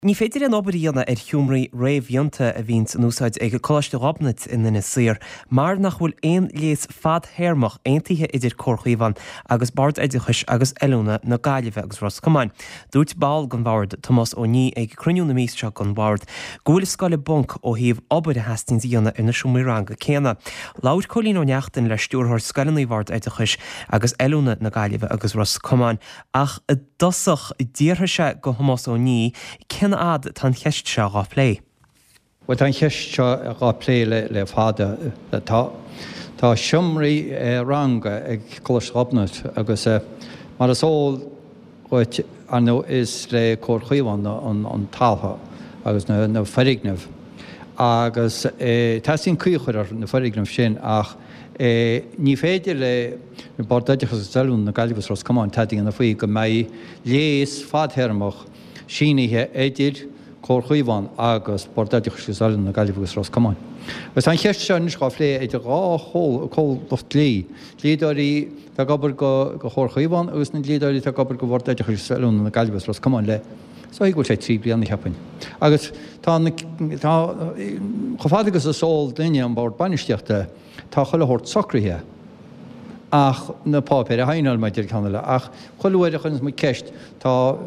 Ní féidir aon obair a dhéanamh ar sheomraí réamhdhéanta a bhíonns in úsáid ag Coláiste Ghobnait in Inis Oírr mar nach bhfuil aon léas fadthéarmach aontaithe idir Comhar Chaomhán agus Bord Oideachais agus Oiliúna na Gaillimhe agus Ros Comáin. Dúirt ball den bhord, Tomás Ó Niadh ag cruinniú na míosa seo den bhord go bhfuil an scoil i bponc ó thaobh obair a theastaíonns a dhéanamh ar na seomraí ranga céanna. Labhair Cóilín Ó Neachtain le Stiúrthóir Scoileanna Bhord Oideachais agus Oiliúna na Gaillimhe agus Ros Comáin Ach i dtosach, d'fhiafraigh sé de Thomás Ó Niadh cén fhad atá an cheist seo dhá plé. Bhuel, tá an cheist seo dhá plé le fada. Tá tá seomraí ranga ag Coláiste Ghobnait agus mar is eol dhuit, ar ndóigh, is le Comhar Chaomhán an talamh agus na foirgnimh agus teastaíonn caoi a chur ar na foirgnimh sin ach Ní féidir le Bord Oideachais agus Oiliúna na Gaillimhe agus Ros Comáin tada a dhéanamh faoi go mbeidh léas fadthéarmach sínithe idir Comhar Chaomhán agus Bord Oideachais agus Oiliúna na Gaillimhe agus Ros Comáin. Agus tá an cheist seo anois dhá phlé idir dhá chomhlacht dlí, dlíodóirí atá ag obair do Chomhar Chaomhán agus na dlíodóirí atá ag obair do Bhord Oideachais agus Oiliúna na Gaillimhe agus Ros Comáin le Is dóigh go bhfuil sé 3 bliana, cheapfainn. Agus tá na, tá, chomh fada agus is eol duine an Bord Bainistíochta, tá chuile shórt socraithe ach na páipéir a shaighneáil mar a deir ceann eile. Ach chuile uair a chuireanns muid ceist, tá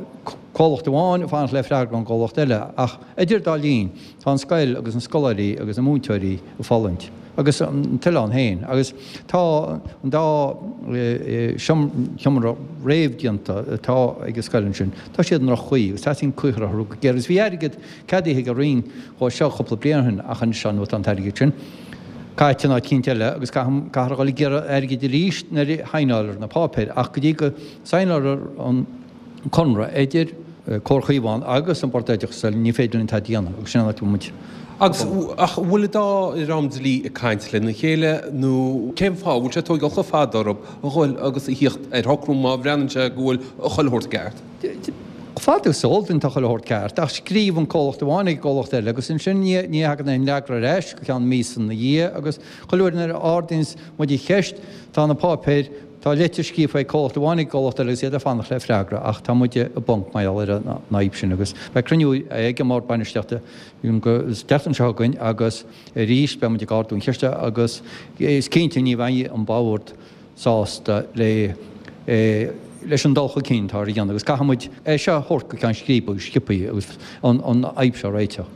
comhlacht amháin ag fanacht le freagra ón gcomhlacht eile. Ach idir dá linn, tá an scoil agus na scoláirí agus na múinteoirí ag fulaingt. Agus an t-oileán féin. Agus tá an dá sheomra réamhdhéanta atá ag an scoil ansin, tá siad i ndroch-chaoi agus teastaíonn caoi a chur orthu go géar. Agus bhí airgead ceadaithe ag an Roinn dhó seo cúpla bliain ó shin ach anois ar ndóigh tá an t-airgead sin caite in áit eicínt eile agus caithfear a dhul ag iarraidh airgid arís nuair a shaighneálfar na páipéir. Ach go dtí go saighneálfar an conradh idir Comhar Chaomhán agus an Bord Oideachais ní féidir linn tada a dhéanamh agus sin an áit a bhfuil muid. Agus ach an bhfuil an dá dhream dlí ag caint lena chéile nó cén fáth a bhfuil sé ag tóigeáil chomh fada orthu a dhul agus a thíocht ar shocrú má bhreathnaíonn sé go bhfuil chuile shórt ceart? Chomh fada is eol duinn tá chuile shórt ceart ach scríobh an comhlacht amháin ag an gcomhlacht eile agus ansin ní thagann aon fhreagra ar ais go ceann míosa ina dhiaidh agus chuile uair nuair a ardaíonns muid an cheist tá na páipéir Tá litir scríofa ag comhlacht amháin ag an gcomhlacht eile agus iad ag fanacht le freagra ach tá muid i bponc mar gheall ar an fhadhb sin agus beidh cruinniú ag an mBord Bainistíochta an tseachtain seo chugainn agus arís beidh muid ag ardú an cheiste agus is cinnte ní bheidh an Bord sásta le leis an dul chun cinn atá á dhéanamh agus caithfidh muid é seo a thabhairt go ceann scríbe go sciobtha agus an fhadhb seo a réiteach.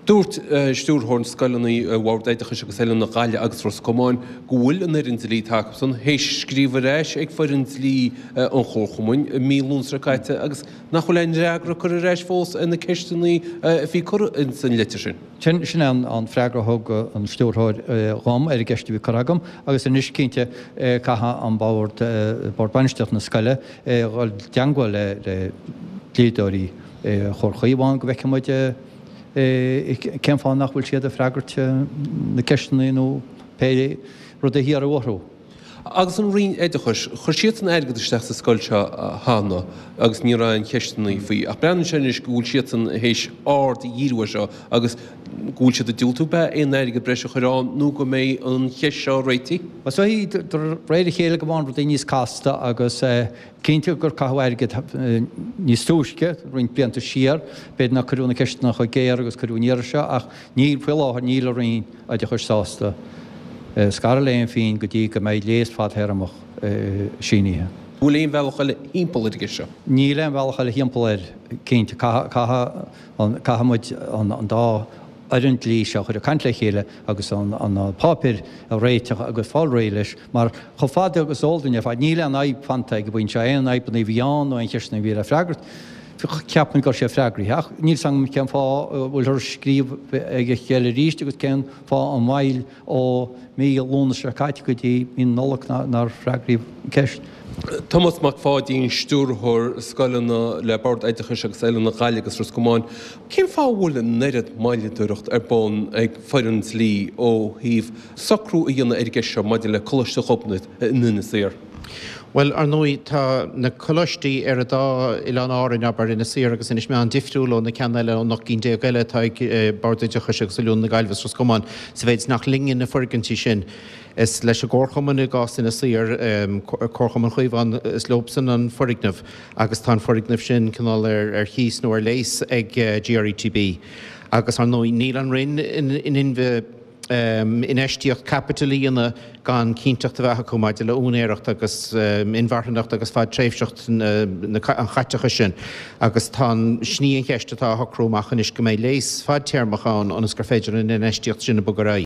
Dúirt Stiúrthóir na Scoileanna Bhord Oideachais agus Oiliúna na Gaillimhe agus Ros Comáin go bhfuil an fhoireann dlí atá acusan théis scríobh ar ais ag foireann dlí an Chomharchumainn i mí Lúnasa seo caite agus nach bhfuil aon fhreagra curtha ar ais fós ar na ceisteanna a bhí curtha ins an litir sin. Sin é an freagra a thug an Stiúrthóir dhom ar an gceist a bhí curtha agam agus anois cinnte caithfidh an Bord, Bord Bainistíochta na scoile, dhul i dteangmháil le dlíodóirí Chomhar Chaomhán go bhfeicfidh muid cén fáth nach bhfuil siad ag freagairt na ceisteanna nó pé rud a hiarradh orthu. Agus an Roinn Oideachais, chuir siadsan airgead isteach sa scoil seo cheana agus ní raibh aon cheisteanna faoi. Ach breathnaíonn sé anois go bhfuil siadsan théis aird a dhíriú air seo agus go bhfuil siad ag diúltú ab ea aon airgead breise a chur ann nó go mbeidh an cheist seo réitithe. Is dóigh de réir a chéile go mbíonn rudaí níos casta agus Cinnte gur caitheadh airgead níos túisce, roinnt blianta siar, b'fhéidir nár cuireadh na ceisteanna chomh géar agus cuireadh an iarraidh seo ach níl, faoi láthair, níl an Roinn Oideachais sásta scaradh le haon phingin go dtí go mbeidh léas fadthéarmach sínithe. An bhfuil aon bhealach eile thimpeall ar an gceist seo? Níl aon bhealach eile thimpeall air, cinnte. Caithfidh muid an dá fhoireann dlí seo a chur ag caint le chéile agus na páipéir a réiteach agus fáil réidh leis mar chomh fada agus is eol duinn ar fad níl aon fhadhb fanta ag an bpointe seo, aon fhadhbanna a bhí ann nó aon cheisteanna a bhí le freagairt, ceapaim go raibh siad freagraithe ach níl 's agam cén fáth a bhfuilthear ag scríobh ag a chéile arís agus cén fáth an mhoill ó mí Lúnasa seo caite go dtí mí na Nollag nár freagraíodh an ceist. Tomás Mac Pháidín, Stiúrthóir Scoileanna le Bord Oideachais agus Oiliúna na Gaillimhe agus Ros Comáin. Cén fáth a bhfuil an oiread moilleadóireacht ar bun ag foireann dlí ó thaobh socrú a dhéanamh ar an gceist seo maidir le Coláiste Ghobnait in Inis Oírr? Bhuel, ar ndóigh, tá na coláistí ar an dá oileán Árainn, abair, Inis Oírr agus Inis Meáin, difriúil ó na ceanna eile, ón 18 gcinn eile atá ag Bord Oideachais agus Oiliúna na Gaillimhe is Ros Comáin, sa mhéid is nach linne na foirgintí sin. Is leis an gComharchumann i gcás Inis Oírr, Comharchumann Chaomhán, is leobsan an foirgneamh agus tá an foirgneamh sin cineál ar chíos nó ar léas ag GRETB. Agus, ar ndóigh, níl an Roinn in inmhe, infheistíocht caipitil a dhéanamh gan cinnteacht a bheith acu maidir le úinéireacht agus inmharthanacht agus fadtréimhseacht an chaiteachais sin agus tá an, sin í an cheist atá á shocrú amach anois go mbeidh léas fadtéarmach ann ionas gur féidir an infheistíocht sin a bhogadh ar aghaidh.